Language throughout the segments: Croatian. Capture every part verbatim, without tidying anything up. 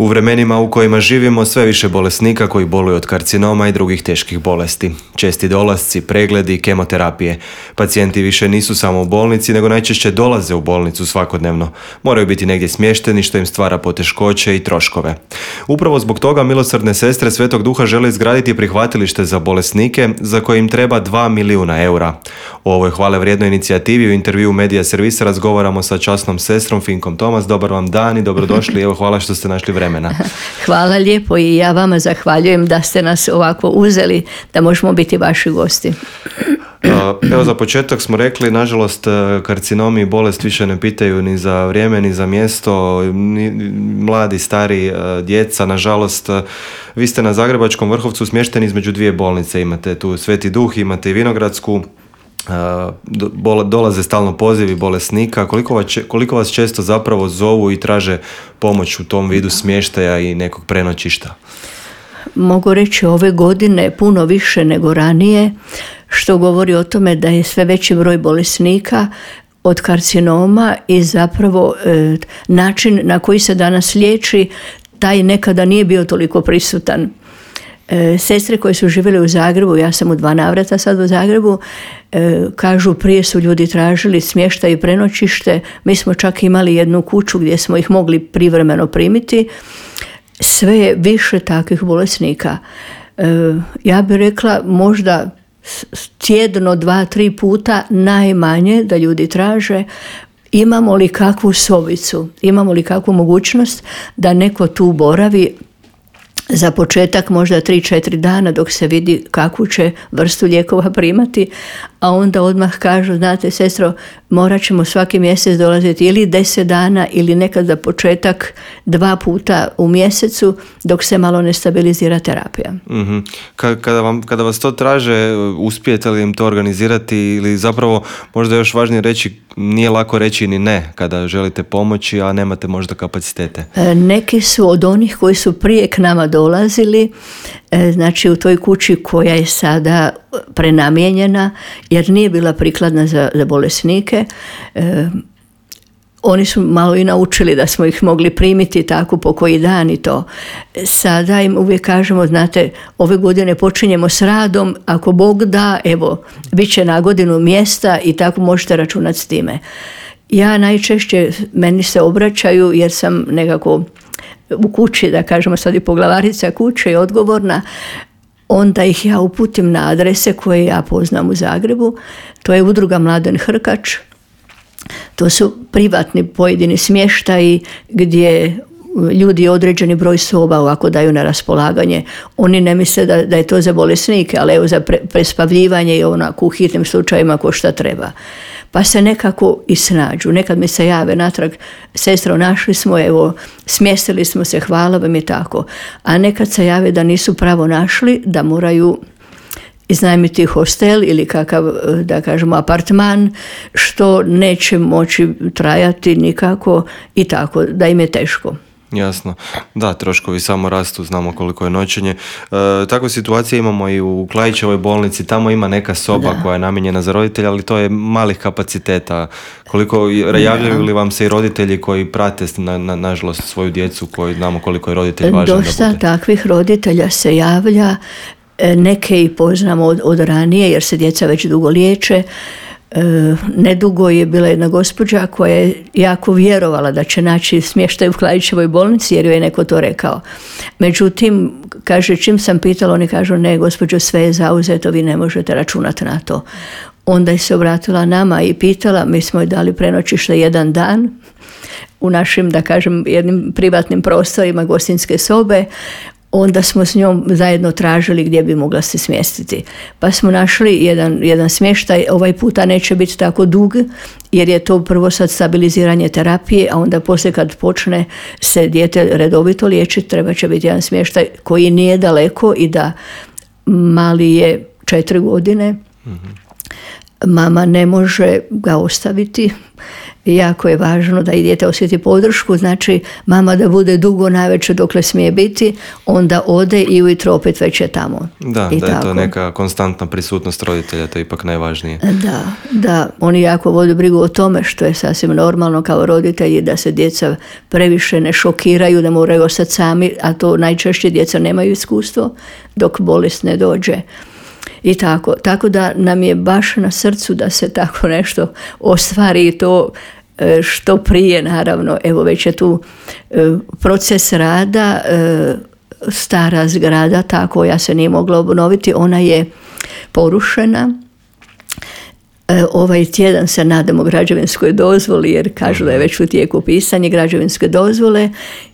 U vremenima u kojima živimo sve više bolesnika koji boluju od karcinoma i drugih teških bolesti. Česti dolasci, pregledi, kemoterapije. Pacijenti više nisu samo u bolnici, nego najčešće dolaze u bolnicu svakodnevno. Moraju biti negdje smješteni što im stvara poteškoće i troškove. Upravo zbog toga Milosrdne sestre Svetog Duha žele izgraditi prihvatilište za bolesnike za koje im treba dva milijuna eura. O ovoj hvale vrijednoj inicijativi u intervju Medija Servisa razgovaramo sa časnom sestrom Finkom Tomas. Dobar vam dan i dobrodošli. Evo, hvala što ste našli vremena. Hvala lijepo i ja vama zahvaljujem da ste nas ovako uzeli da možemo biti vaši gosti. Evo, za početak smo rekli, nažalost, karcinomi i bolest više ne pitaju ni za vrijeme, ni za mjesto, ni mladi, stari, djeca, nažalost. Vi ste na Zagrebačkom Vrhovcu smješteni između dvije bolnice, imate tu Sveti Duh, imate i Vinogradsku. Dolaze stalno pozivi bolesnika. Koliko vas, koliko vas često zapravo zovu i traže pomoć u tom vidu smještaja i nekog prenoćišta? Mogu reći ove godine puno više nego ranije, što govori o tome da je sve veći broj bolesnika od karcinoma i zapravo e, način na koji se danas liječi, taj nekada nije bio toliko prisutan. E, sestre koje su živjele u Zagrebu, ja sam u dva navrata sad u Zagrebu, e, kažu prije su ljudi tražili smještaj i prenoćište, mi smo čak imali jednu kuću gdje smo ih mogli privremeno primiti. Sve je više takvih bolesnika. E, ja bih rekla možda tjedno, dva, tri puta najmanje da ljudi traže imamo li kakvu sobicu, imamo li kakvu mogućnost da neko tu boravi za početak možda tri četiri dana dok se vidi kakvu će vrstu lijekova primati, a onda odmah kažu, znate sestro, morat ćemo svaki mjesec dolaziti ili deset dana ili nekad za početak dva puta u mjesecu dok se malo ne stabilizira terapija. Mm-hmm. Kada, vam, kada vas to traže, uspijete li im to organizirati ili zapravo možda još važnije reći, nije lako reći ni ne kada želite pomoći, a nemate možda kapacitete? Neki su od onih koji su prije k nama dolazili, znači u toj kući koja je sada prenamijenjena jer nije bila prikladna za, za bolesnike. E, oni su malo i naučili da smo ih mogli primiti tako po koji dan i to. Sada im uvijek kažemo, znate, ove godine počinjemo s radom, ako Bog da, evo, bit će na godinu mjesta i tako možete računati s time. Ja najčešće, meni se obraćaju jer sam nekako u kući, da kažemo sad i poglavarica kuće i odgovorna, onda ih ja uputim na adrese koje ja poznam u Zagrebu. To je udruga Mladen Hrkač. To su privatni pojedini smještaji gdje ljudi određeni broj soba ovako daju na raspolaganje. Oni ne misle da, da je to za bolesnike, ali evo za pre, prespavljivanje i onako u hitnim slučajima ko šta treba. Pa se nekako i snađu. Nekad mi se jave natrag, sestro, našli smo, evo, smjestili smo se, hvala vam je tako. A nekad se jave da nisu pravo našli, da moraju iznajmiti hostel ili kakav, da kažemo, apartman, što neće moći trajati nikako i tako, da im je teško. Jasno. Da, troškovi samo rastu, znamo koliko je noćenje. E, takve situacije imamo i u Klaićevoj bolnici, tamo ima neka soba da. koja je namijenjena za roditelja, ali to je malih kapaciteta. Koliko javljaju li vam se i roditelji koji prate na, na, nažalost svoju djecu, koji znamo koliko je roditelj važan Dosta da bude? takvih roditelja se javlja, neke i poznamo od, od ranije jer se djeca već dugo liječe. E, nedugo je bila jedna gospođa koja je jako vjerovala da će naći smještaj u Klaićevoj bolnici jer joj je neko to rekao. Međutim, kaže, čim sam pitala, oni kažu, ne gospođo, sve je zauzeto, vi ne možete računati na to. Onda je se obratila nama i pitala, mi smo joj dali prenoćište jedan dan u našim, da kažem, jednim privatnim prostorima, gostinske sobe. Onda smo s njom zajedno tražili gdje bi mogla se smjestiti. Pa smo našli jedan, jedan smještaj, ovaj puta neće biti tako dug, jer je to prvo sad stabiliziranje terapije, a onda poslije kad počne se dijete redovito liječiti, treba će biti jedan smještaj koji nije daleko i da mali je četiri godine. Mm-hmm. Mama ne može ga ostaviti jako je važno da i dijete osjeti podršku, znači mama da bude dugo navečer dokle smije biti, onda ode i ujutro opet već je tamo. Da, I da je tako. to neka konstantna prisutnost roditelja, to je ipak najvažnije. Da, da, oni jako vode brigu o tome, što je sasvim normalno kao roditelji, da se djeca previše ne šokiraju, da moraju ostati sami, a to najčešće djeca nemaju iskustvo dok bolest ne dođe. I tako, tako da nam je baš na srcu da se tako nešto ostvari i to što prije, naravno. Evo već je tu proces rada, stara zgrada, ta koja se nije mogla obnoviti, ona je porušena. Ovaj tjedan se nadamo građevinskoj dozvoli, jer kažu da je već u tijeku pisanje građevinske dozvole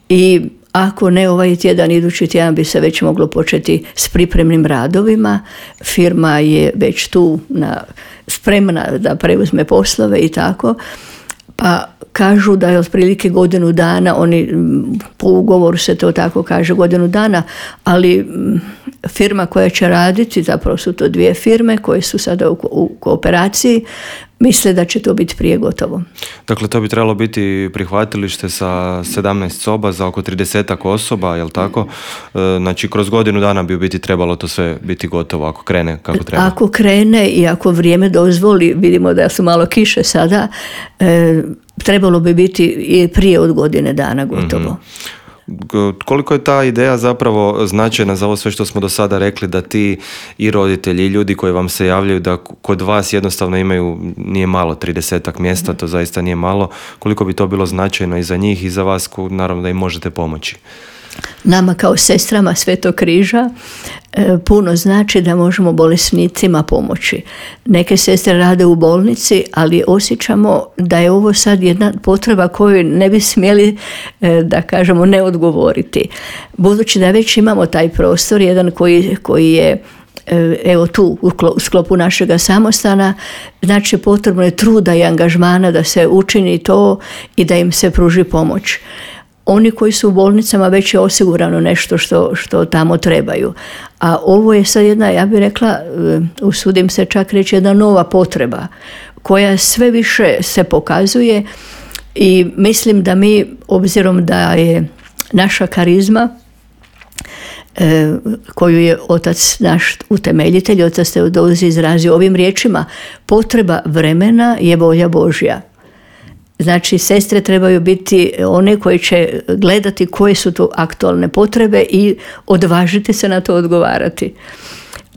i ako ne ovaj tjedan, idući tjedan bi se već moglo početi s pripremnim radovima. Firma je već tu na, spremna da preuzme poslove i tako. Pa kažu da je otprilike godinu dana, oni po ugovoru se to tako kaže, godinu dana, ali firma koja će raditi, zapravo su to dvije firme koje su sada u, u kooperaciji, misle da će to biti prije gotovo. Dakle, to bi trebalo biti prihvatilište sa sedamnaest soba za oko tridesetak osoba, jel tako? Znači, kroz godinu dana bi u biti trebalo to sve biti gotovo, ako krene kako treba. Ako krene i ako vrijeme dozvoli, vidimo da su malo kiše sada, e, trebalo bi biti i prije od godine dana gotovo. Mm-hmm. Koliko je ta ideja zapravo značajna za ovo sve što smo do sada rekli, da ti i roditelji i ljudi koji vam se javljaju da kod vas jednostavno imaju, nije malo, tridesetak mjesta, to zaista nije malo, koliko bi to bilo značajno i za njih i za vas, naravno da im možete pomoći? Nama kao sestrama Svetog križa e, puno znači da možemo bolesnicima pomoći. Neke sestre rade u bolnici, ali osjećamo da je ovo sad jedna potreba koju ne bi smjeli, e, da kažemo, ne odgovoriti. Budući da već imamo taj prostor, jedan koji, koji je evo tu u sklopu našega samostana, znači potrebno je truda i angažmana da se učini to i da im se pruži pomoć. Oni koji su u bolnicama već je osigurano nešto što, što tamo trebaju. A ovo je sad jedna, ja bih rekla, usudim se čak reći, jedna nova potreba koja sve više se pokazuje i mislim da mi, obzirom da je naša karizma koju je otac naš utemeljitelj, otac Teodozij, izrazio ovim riječima: potreba vremena je volja Božja. Znači, sestre trebaju biti one koje će gledati koje su to aktualne potrebe i odvažiti se na to odgovarati.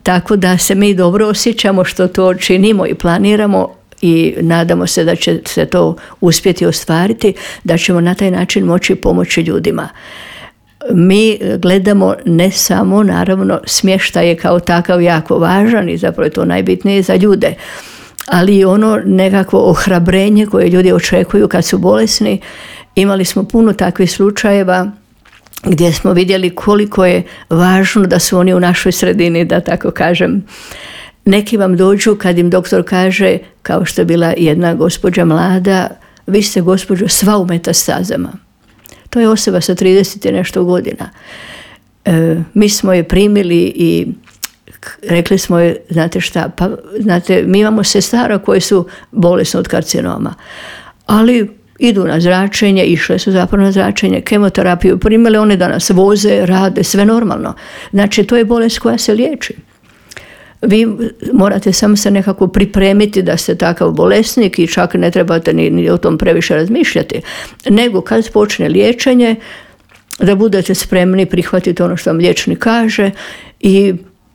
Tako da se mi dobro osjećamo što to činimo i planiramo i nadamo se da će se to uspjeti ostvariti, da ćemo na taj način moći pomoći ljudima. Mi gledamo ne samo, naravno, smještaj je kao takav jako važan i zapravo je to najbitnije za ljude, ali i ono nekakvo ohrabrenje koje ljudi očekuju kad su bolesni. Imali smo puno takvih slučajeva gdje smo vidjeli koliko je važno da su oni u našoj sredini, da tako kažem. Neki vam dođu kad im doktor kaže, kao što je bila jedna gospođa mlada: vi ste, gospođo, sva u metastazama. To je osoba sa trideset i nešto godina. E, mi smo je primili i rekli smo je, znate šta, pa znate, mi imamo sestara koje su bolesne od karcinoma, ali idu na zračenje, išle su zapravo na zračenje, kemoterapiju primile, one danas voze, rade, sve normalno. Znači, to je bolest koja se liječi. Vi morate samo se nekako pripremiti da ste takav bolesnik i čak ne trebate ni, ni o tom previše razmišljati, nego kad počne liječenje, da budete spremni prihvatiti ono što vam liječnik kaže i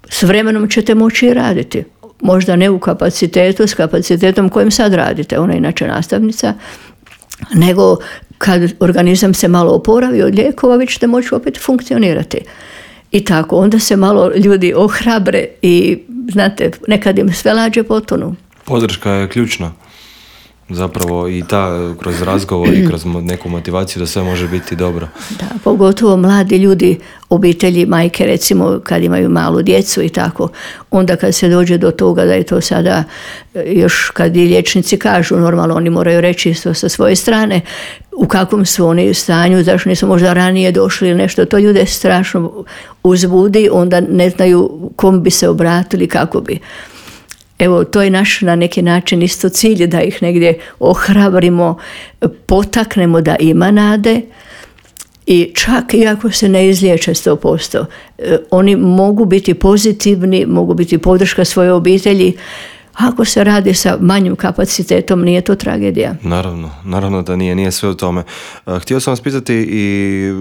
s vremenom ćete moći i raditi. Možda ne u kapacitetu, s kapacitetom kojim sad radite, ona je inače nastavnica, nego kad organizam se malo oporavi od lijekova, vi ćete moći opet funkcionirati. I tako, onda se malo ljudi ohrabre i, znate, nekad im sve lađe potonu. Podrška je ključna. Zapravo i ta, kroz razgovor i kroz neku motivaciju da sve može biti dobro. Da, pogotovo mladi ljudi, obitelji, majke recimo kad imaju malu djecu i tako, onda kad se dođe do toga da je to sada, još kad i liječnici kažu, normalno oni moraju reći isto sa svoje strane u kakvom su oni stanju, zašto nisu možda ranije došli ili nešto, to ljude strašno uzbudi, onda ne znaju kom bi se obratili, kako bi. evo, to je naš na neki način isto cilj, da ih negdje ohrabrimo, potaknemo da ima nade. I čak i ako se ne izliječe sto posto, oni mogu biti pozitivni, mogu biti podrška svoje obitelji. Ako se radi sa manjim kapacitetom, nije to tragedija. Naravno, naravno da nije, nije sve u tome. Htio sam vas pitati, i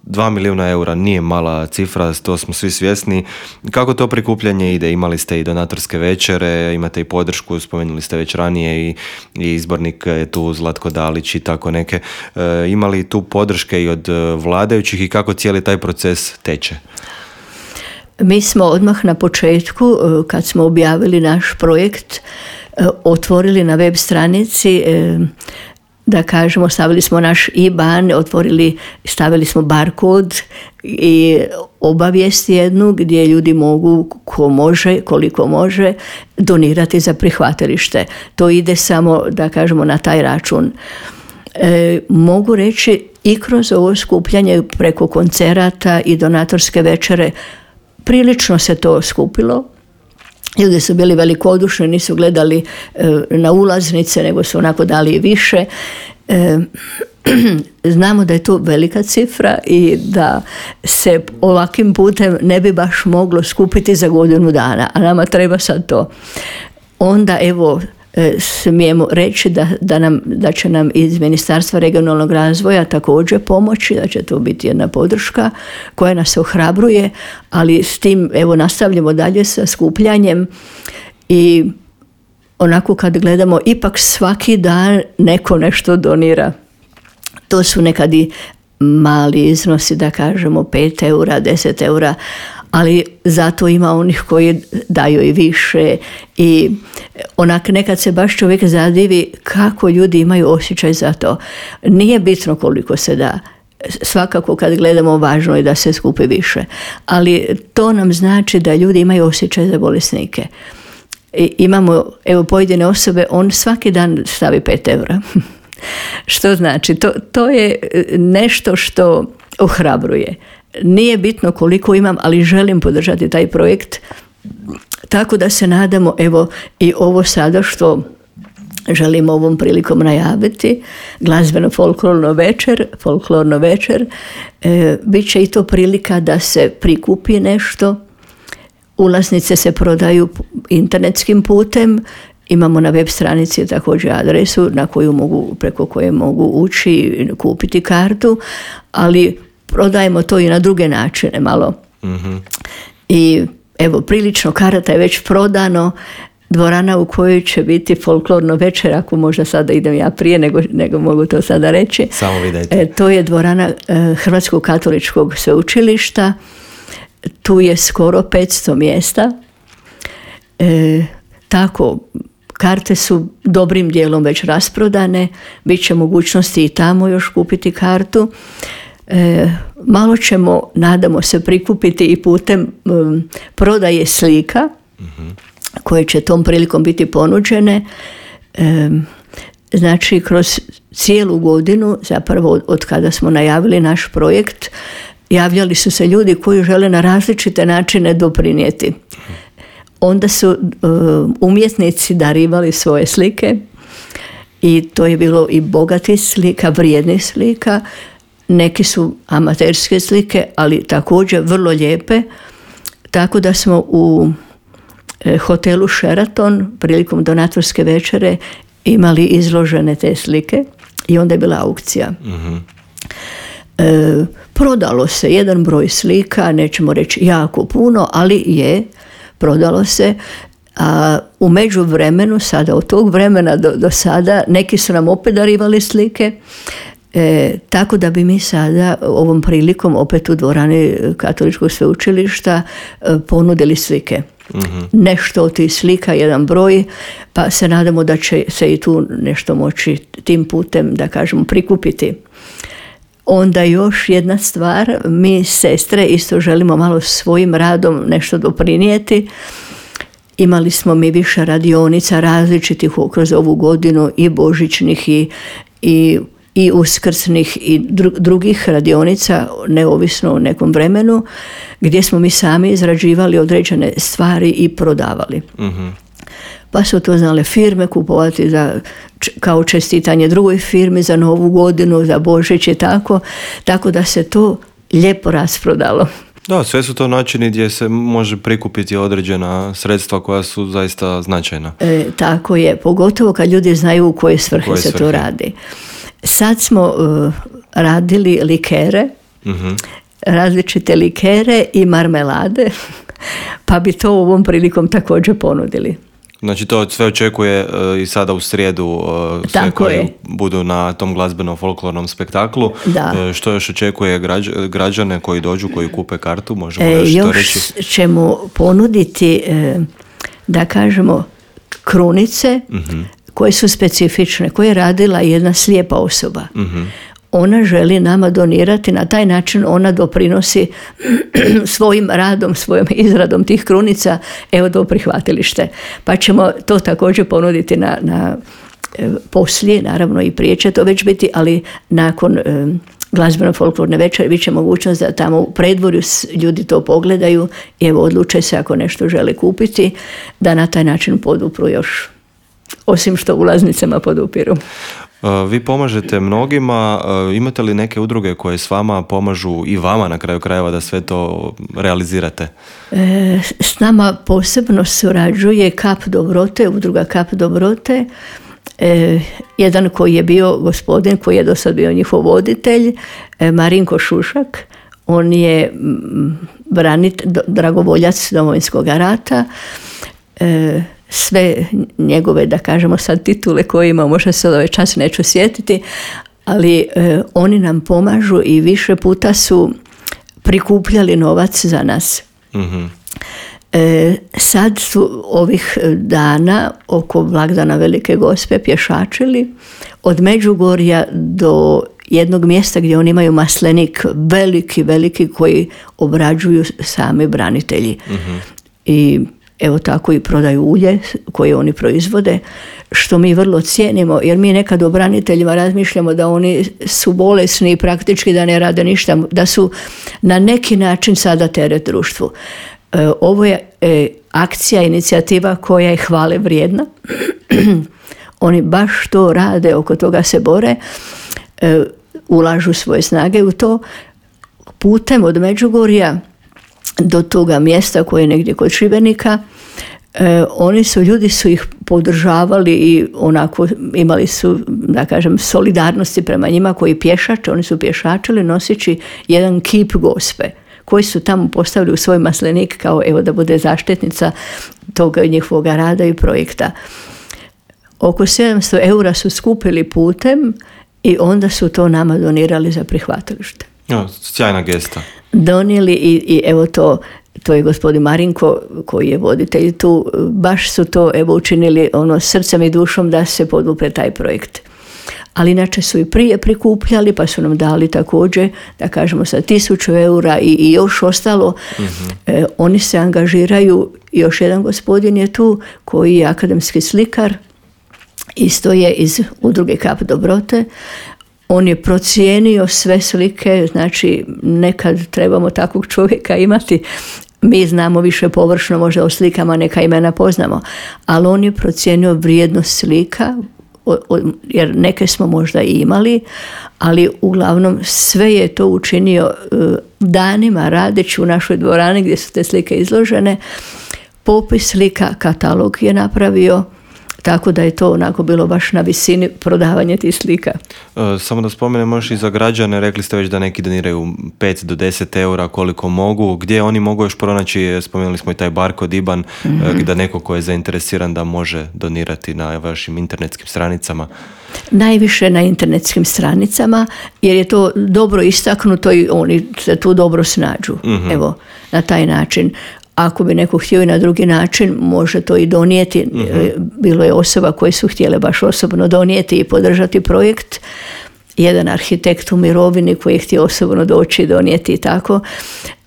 dva milijuna eura nije mala cifra, to smo svi svjesni. Kako to prikupljanje ide? Imali ste i donatorske večere, imate i podršku, spomenuli ste već ranije i, i izbornik je tu Zlatko Dalić i tako neke. E, imali tu podrške i od vladajućih i kako cijeli taj proces teče? Mi smo odmah na početku, kad smo objavili naš projekt, otvorili na web stranici, da kažemo, stavili smo naš I B A N, otvorili, stavili smo barkod i obavijest jednu gdje ljudi mogu, ko može, koliko može, donirati za prihvatilište. To ide samo, da kažemo, na taj račun. E, mogu reći i kroz ovo skupljanje preko koncerata i donatorske večere, prilično se to skupilo. Ljudi su bili velikodušni, nisu gledali e, na ulaznice, nego su onako dali više. E, znamo da je to velika cifra i da se ovakvim putem ne bi baš moglo skupiti za godinu dana, a nama treba sad to. Onda evo, smijemo reći da, da, nam, da će nam iz Ministarstva regionalnog razvoja također pomoći, da će to biti jedna podrška koja nas ohrabruje, ali s tim evo nastavljamo dalje sa skupljanjem i onako kad gledamo, ipak svaki dan neko nešto donira. To su nekad i mali iznosi, da kažemo pet eura, deset eura, ali zato ima onih koji daju i više i onak nekad se baš čovjek zadivi kako ljudi imaju osjećaj za to. Nije bitno koliko se da. Svakako kad gledamo, važno je da se skupi više, ali to nam znači da ljudi imaju osjećaj za bolesnike. I imamo, evo, pojedine osobe, on svaki dan stavi pet eura. Što znači? To, to je nešto što ohrabruje. Nije bitno koliko imam, ali želim podržati taj projekt. Tako da se nadamo, evo, i ovo sada što želim ovom prilikom najaviti, glazbeno-folklorno večer, folklorno večer, e, bit će i to prilika da se prikupi nešto. Ulaznice se prodaju internetskim putem. Imamo na web stranici također adresu na koju mogu, preko koje mogu ući i kupiti kartu, ali prodajemo to i na druge načine malo. Mm-hmm. I evo, prilično karata je već prodano. Dvorana u kojoj će biti folklorno večer, ako možda sada idem ja prije nego, nego mogu to sada reći. Samo vidite. E, to je dvorana e, Hrvatskog katoličkog sveučilišta. Tu je skoro petsto mjesta. E, tako, karte su dobrim dijelom već rasprodane. Biće mogućnosti i tamo još kupiti kartu. E, malo ćemo, nadamo se, prikupiti i putem um, prodaje slika, mm-hmm. koje će tom prilikom biti ponuđene. E, znači, kroz cijelu godinu, zapravo od, od kada smo najavili naš projekt, javljali su se ljudi koji žele na različite načine doprinijeti. Onda su um, umjetnici darivali svoje slike i to je bilo i bogatih slika, vrijednih slika. Neki su amaterske slike, ali također vrlo lijepe, tako da smo u e, hotelu Sheraton prilikom donatorske večere imali izložene te slike i onda je bila aukcija. Mm-hmm. E, prodalo se jedan broj slika, nećemo reći jako puno, ali je, prodalo se. A u međuvremenu, sada od tog vremena do, do sada, neki su nam opet darivali slike. E, tako da bi mi sada ovom prilikom opet u dvorani Katoličkog sveučilišta e, ponudili slike. Mm-hmm. Nešto od tih slika, jedan broj, pa se nadamo da će se i tu nešto moći tim putem, da kažemo, prikupiti. Onda još jedna stvar, mi sestre isto želimo malo svojim radom nešto doprinijeti. Imali smo mi više radionica različitih kroz ovu godinu, i božićnih i, i i uskrsnih i drugih radionica, neovisno o nekom vremenu, gdje smo mi sami izrađivali određene stvari i prodavali. Mm-hmm. pa su to znale firme kupovati za, kao čestitanje drugoj firmi za Novu godinu, za Božić i tako, tako da se to lijepo rasprodalo. Da, sve su to načini gdje se može prikupiti određena sredstva koja su zaista značajna. E, tako je, pogotovo kad ljudi znaju u koje svrhe, koje se svrhe? to radi. Sad smo uh, radili likere, uh-huh. različite likere i marmelade, pa bi to ovom prilikom također ponudili. Znači to sve očekuje uh, i sada u srijedu uh, sve Tako koji je. budu na tom glazbenom folklornom spektaklu. Da. Uh, što još očekuje građ, građane koji dođu, koji kupe kartu? Možemo e, još, još to reći? ćemo ponuditi, e, da kažemo, krunice uh-huh. koje su specifične, koje je radila jedna slijepa osoba. Uh-huh. Ona želi nama donirati, na taj način ona doprinosi svojim radom, svojom izradom tih krunica, evo do prihvatilište. Pa ćemo to također ponuditi na, na e, poslije, naravno i prije će to već biti, ali nakon e, glazbeno-folklorne večeri bit će mogućnost da tamo u predvorju ljudi to pogledaju i evo odluče se ako nešto žele kupiti, da na taj način podupru još, osim što ulaznicama podupiru. Vi pomažete mnogima, imate li neke udruge koje s vama pomažu i vama na kraju krajeva da sve to realizirate? E, s nama posebno surađuje Kap Dobrote, udruga Kap Dobrote, e, jedan koji je bio gospodin, koji je do sad bio njihov voditelj, e, Marinko Šušak, on je branit, dragovoljac Domovinskog rata, e, sve njegove, da kažemo sad titule koje ima, možda se ovaj čas neću sjetiti, ali e, oni nam pomažu i više puta su prikupljali novac za nas. Mm-hmm. E, sad su ovih dana oko blagdana Velike Gospe pješačili od Međugorja do jednog mjesta gdje oni imaju maslenik veliki, veliki koji obrađuju sami branitelji. Mm-hmm. I evo tako i prodaju ulje koje oni proizvode, što mi vrlo cijenimo, jer mi nekad o braniteljima razmišljamo da oni su bolesni i praktički da ne rade ništa, da su na neki način sada teret društvu. E, ovo je e, akcija, inicijativa koja je hvale vrijedna. Oni baš to rade, oko toga se bore, e, ulažu svoje snage u to. Putem od Međugorja do toga mjesta koje je negdje kod Šibenika, e, oni su, ljudi su ih podržavali i onako imali su, da kažem, solidarnosti prema njima koji pješače, oni su pješačili noseći jedan kip Gospe koji su tamo postavili u svoj maslenik kao evo da bude zaštitnica toga njihovog rada i projekta. Oko sedamsto eura su skupili putem i onda su to nama donirali za prihvatilište. Ja, sjajna gesta. Donijeli i, i evo to, to je gospodin Marinko koji je voditelj tu, baš su to evo učinili ono srcem i dušom da se podupre taj projekt. Ali inače su i prije prikupljali pa su nam dali također, da kažemo sa tisuću eura i, i još ostalo. Mm-hmm. E, oni se angažiraju, još jedan gospodin je tu koji je akademski slikar, isto je iz udruge Kap Dobrote. On je procijenio sve slike, znači nekad trebamo takvog čovjeka imati. Mi znamo više površno, možda o slikama neka imena poznamo, ali on je procijenio vrijednost slika, o, o, jer neke smo možda i imali, ali uglavnom sve je to učinio uh, danima radeći u našoj dvorani gdje su te slike izložene. Popis slika, katalog je napravio, tako da je to onako bilo baš na visini prodavanja tih slika. E, samo da spomenemo još i za građane, rekli ste već da neki doniraju pet do deset eura koliko mogu. Gdje oni mogu još pronaći, spomenuli smo i taj barkod I B A N, mm-hmm. da neko ko je zainteresiran da može donirati na vašim internetskim stranicama? Najviše na internetskim stranicama, jer je to dobro istaknuto i oni se tu dobro snađu. Mm-hmm. Evo, na taj način. Ako bi neko htio i na drugi način, može to i donijeti. Mm-hmm. Bilo je osoba koje su htjele baš osobno donijeti i podržati projekt. Jedan arhitekt u mirovini koji je htio osobno doći i donijeti i tako.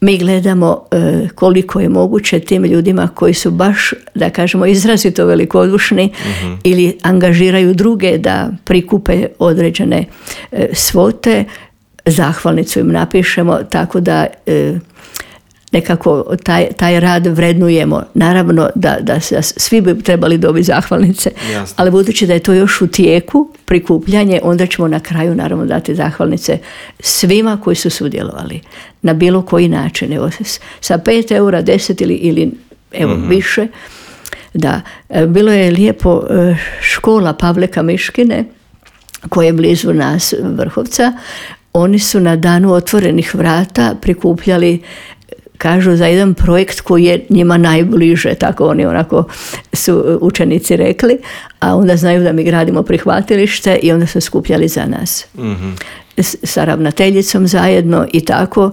Mi gledamo e, koliko je moguće tim ljudima koji su baš, da kažemo, izrazito velikodušni mm-hmm. ili angažiraju druge da prikupe određene e, svote. Zahvalnicu im napišemo, tako da... E, nekako taj, taj rad vrednujemo. Naravno da, da se, svi bi trebali dobiti zahvalnice, Jasno. ali budući da je to još u tijeku prikupljanje, onda ćemo na kraju naravno dati zahvalnice svima koji su sudjelovali na bilo koji način. Evo, sa pet eura, deset ili, ili evo, mm-hmm. više. Da, bilo je lijepo, škola Pavleka Miškine, koja je blizu nas, Vrhovca. Oni su na danu otvorenih vrata prikupljali, kažu, za jedan projekt koji je njima najbliže, tako oni onako su učenici rekli, a onda znaju da mi gradimo prihvatilište i onda su skupljali za nas. Mm-hmm. S, sa ravnateljicom zajedno i tako,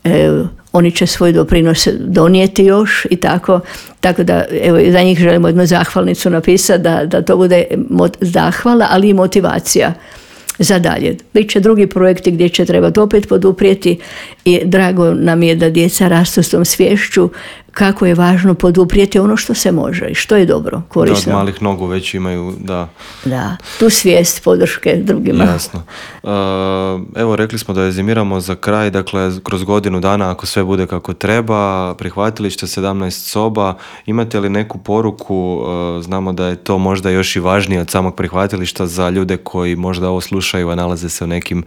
e, oni će svoj doprinos donijeti još i tako, tako da evo, za njih želimo jednu zahvalnicu napisati, da, da to bude mot, zahvala, ali i motivacija za dalje. Biće drugi projekti gdje će trebati opet poduprijeti i drago nam je da djeca rastu s tom sviješću kako je važno poduprijeti ono što se može i što je dobro, korisno. Da, od malih nogu već imaju, da. Da, tu svijest podrške drugima. Jasno. Uh, evo, rekli smo da rezimiramo za kraj, dakle, kroz godinu dana, ako sve bude kako treba, prihvatilište sedamnaest soba, imate li neku poruku, uh, znamo da je to možda još i važnije od samog prihvatilišta za ljude koji možda ovo slušaju, a nalaze se u nekim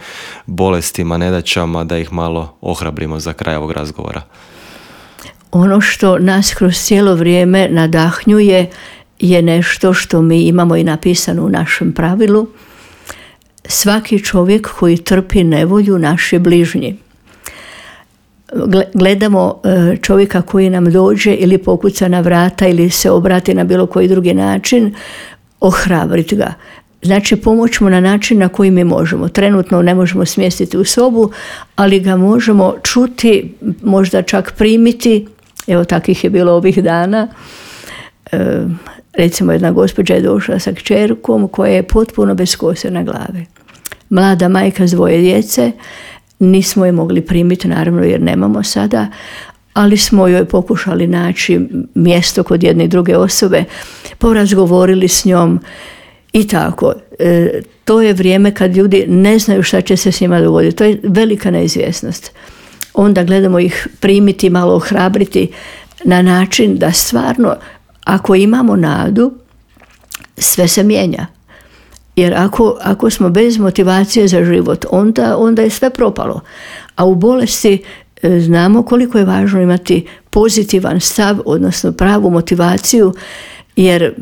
bolestima, nedaćama, da ih malo ohrabrimo za kraj ovog razgovora? Ono što nas kroz cijelo vrijeme nadahnjuje je nešto što mi imamo i napisano u našem pravilu. Svaki čovjek koji trpi nevolju, naš je bližnji. Gledamo čovjeka koji nam dođe ili pokuca na vrata ili se obrati na bilo koji drugi način, ohrabriti ga. Znači, pomoć mu na način na koji mi možemo. Trenutno ne možemo smjestiti u sobu, ali ga možemo čuti, možda čak primiti. Evo, takvih je bilo ovih dana. E, recimo, jedna gospođa je došla sa kćerkom koja je potpuno bez kose na glavi. Mlada majka s dvoje djece, nismo je mogli primiti, naravno, jer nemamo sada, ali smo joj pokušali naći mjesto kod jedne i druge osobe, porazgovorili s njom i tako. E, to je vrijeme kad ljudi ne znaju šta će se s njima dogoditi. To je velika neizvjesnost. Onda gledamo ih primiti, malo ohrabriti na način da stvarno, ako imamo nadu, sve se mijenja. Jer ako, ako smo bez motivacije za život, onda, onda je sve propalo. A u bolesti e, znamo koliko je važno imati pozitivan stav, odnosno pravu motivaciju, jer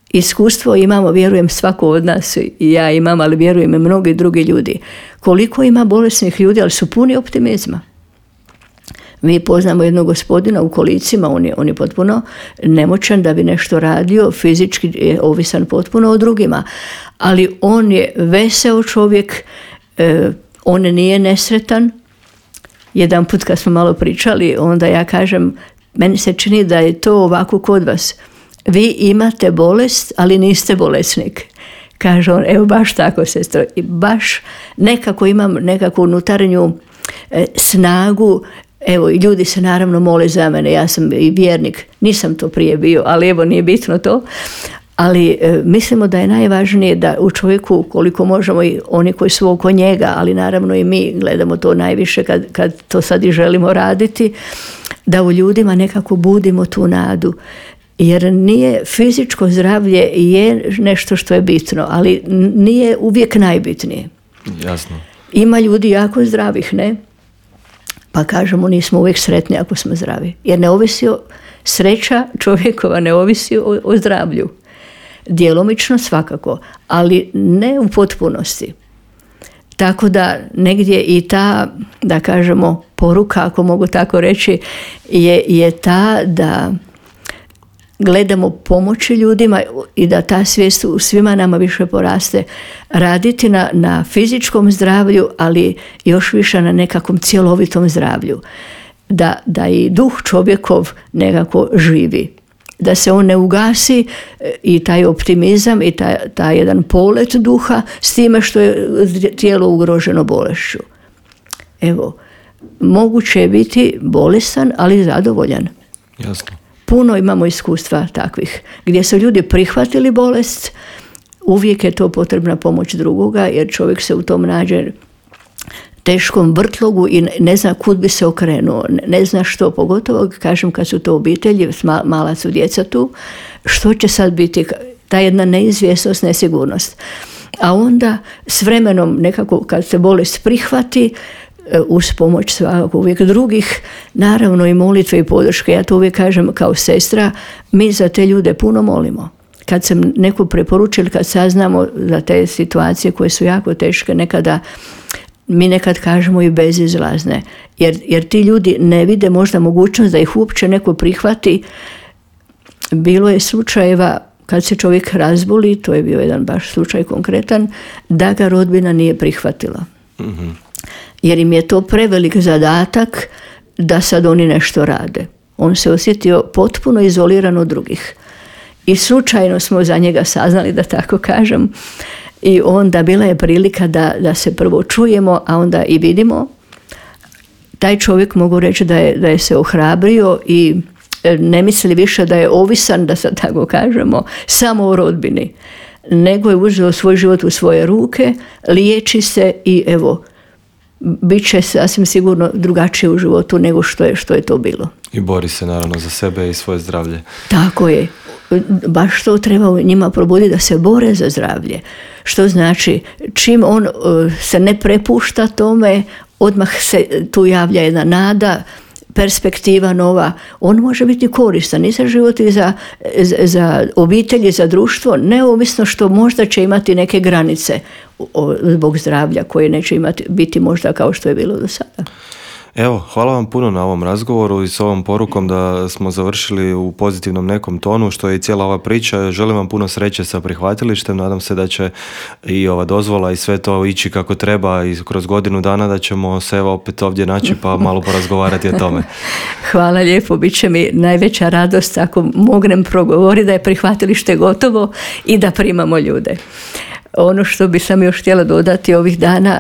iskustvo imamo, vjerujem, svako od nas, i ja imam, ali vjerujem i mnogi drugi ljudi. Koliko ima bolesnih ljudi, ali su puni optimizma. Mi poznamo jednog gospodina u kolicima, on je, on je potpuno nemoćan da bi nešto radio, fizički je ovisan potpuno o drugima, ali on je veseo čovjek, eh, on nije nesretan. Jedan put kad smo malo pričali, onda ja kažem, meni se čini da je to ovako kod vas. Vi imate bolest, ali niste bolesnik. Kaže on, evo baš tako, sestro. I baš nekako imam nekakvu unutarnju eh, snagu. Evo, i ljudi se naravno mole za mene, ja sam i vjernik, nisam to prije bio, ali evo, nije bitno to. Ali e, mislimo da je najvažnije da u čovjeku, koliko možemo, i oni koji su oko njega, ali naravno i mi gledamo to najviše kad, kad to sad i želimo raditi, da u ljudima nekako budimo tu nadu. Jer nije fizičko zdravlje je nešto što je bitno, ali nije uvijek najbitnije. Jasno. Ima ljudi jako zdravih, ne? Pa kažemo, nismo uvijek sretni ako smo zdravi. Jer ne ovisi o, sreća čovjekova ne ovisi o, o zdravlju. Djelomično svakako, ali ne u potpunosti. Tako da negdje i ta, da kažemo, poruka, ako mogu tako reći, je, je ta da gledamo pomoći ljudima i da ta svijest u svima nama više poraste, raditi na, na fizičkom zdravlju, ali još više na nekakvom cjelovitom zdravlju. Da, da i duh čovjekov nekako živi. Da se on ne ugasi i taj optimizam i taj, taj jedan polet duha s time što je tijelo ugroženo bolešću. Evo, moguće je biti bolestan, ali zadovoljan. Jasno. Puno imamo iskustva takvih, gdje su ljudi prihvatili bolest, uvijek je to potrebna pomoć drugoga, jer čovjek se u tom nađe teškom vrtlogu i ne zna kud bi se okrenuo, ne zna što, pogotovo kažem kad su to obitelji, mala su djeca tu, što će sad biti, ta jedna neizvjesnost, nesigurnost. A onda s vremenom nekako kad se bolest prihvati, uz pomoć svakako uvijek drugih, naravno i molitve i podrške. Ja to uvijek kažem kao sestra, mi za te ljude puno molimo. Kad sam neko preporučila, kad saznamo za te situacije koje su jako teške, nekada mi nekad kažemo i bezizlazne, jer, jer ti ljudi ne vide možda mogućnost da ih uopće neko prihvati. Bilo je slučajeva kad se čovjek razboli, to je bio jedan baš slučaj konkretan, da ga rodbina nije prihvatila. Mm-hmm. Jer im je to prevelik zadatak da sad oni nešto rade. On se osjetio potpuno izoliran od drugih. I slučajno smo za njega saznali, da tako kažem, i onda bila je prilika da, da se prvo čujemo, a onda i vidimo. Taj čovjek, mogu reći da je, da je se ohrabrio i ne misli više da je ovisan, da sad tako kažemo, samo o rodbini, nego je uzeo svoj život u svoje ruke, liječi se i evo, bit će sasvim sigurno drugačije u životu nego što je, što je to bilo. I bori se naravno za sebe i svoje zdravlje. Tako je. Baš to treba njima probuditi, da se bore za zdravlje. Što znači, čim on se ne prepušta tome, odmah se tu javlja jedna nada, perspektiva nova. On može biti koristan i za život i za, za obitelj i za društvo, neovisno što možda će imati neke granice zbog zdravlja koje neće imati, biti možda kao što je bilo do sada. Evo, hvala vam puno na ovom razgovoru i s ovom porukom da smo završili u pozitivnom nekom tonu, što je i cijela ova priča. Želim vam puno sreće sa prihvatilištem, nadam se da će i ova dozvola i sve to ići kako treba i kroz godinu dana da ćemo se evo opet ovdje naći pa malo porazgovarati o tome. Hvala lijepo, bit će mi najveća radost ako mognem progovoriti da je prihvatilište gotovo i da primamo ljude. Ono što bi sam još htjela dodati ovih dana,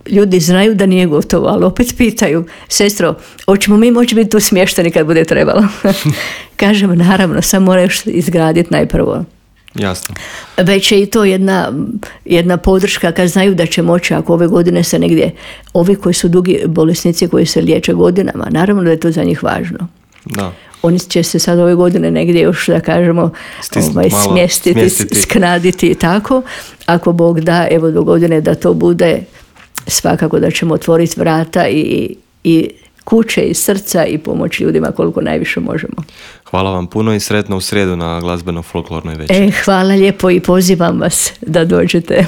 ljudi znaju da nije gotovo, ali opet pitaju, sestro, hoćemo mi moći biti tu smješteni kad bude trebalo? Kažem, naravno, samo moraju izgraditi najprvo. Jasno. Već je i to jedna, jedna podrška kad znaju da će moći, ako ove godine se negdje, ovi koji su dugi bolesnici koji se liječe godinama, naravno da je to za njih važno. Da. Oni će se sad ove godine negdje još, da kažemo, Stisnut, ovaj, malo, smjestiti, smjestiti, sknaditi i tako. Ako Bog da, evo do godine da to bude, svakako da ćemo otvoriti vrata i, i kuće i srca i pomoći ljudima koliko najviše možemo. Hvala vam puno i sretno u srijedu na glazbeno-folklornoj večeri. E, hvala lijepo i pozivam vas da dođete.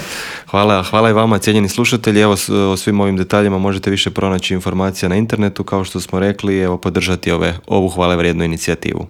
Hvala, hvala i vama, cijenjeni slušatelji. Evo, o svim ovim detaljima možete više pronaći informacija na internetu, kao što smo rekli, evo podržati ove, ovu hvale vrijednu inicijativu.